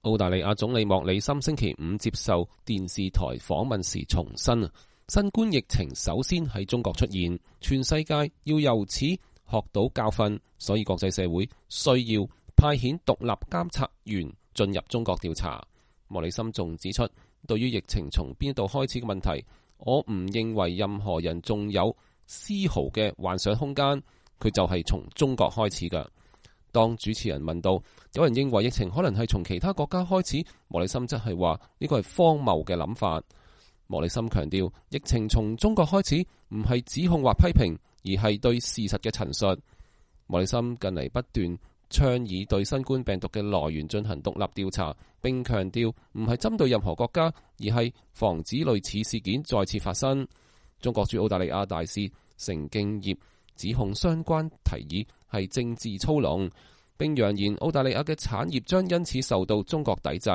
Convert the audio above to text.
澳大利亞總理莫里森星期五接受電視台訪問時重申，新冠疫情首先喺中國出現，全世界要由此學到教訓，所以國際社會需要派遣獨立監察員進入中國調查。莫里森仲指出，對於疫情從邊度開始嘅問題，我唔認為任何人仲有絲毫嘅幻想空間，佢就係從中國開始㗎。當主持人問到有人認為疫情可能係從其他國家開始，莫里森則係話呢個係荒謬嘅諗法。莫里森強調，疫情從中國開始唔係指控或批評，而係對事實嘅陳述。莫里森近嚟不斷倡議對新冠病毒嘅來源進行獨立調查，並強調唔係針對任何國家，而係防止類似事件再次發生。中國駐澳大利亞大使成敬業指控相關提議係政治操弄，並揚言澳大利亞嘅產業將因此受到中國抵制。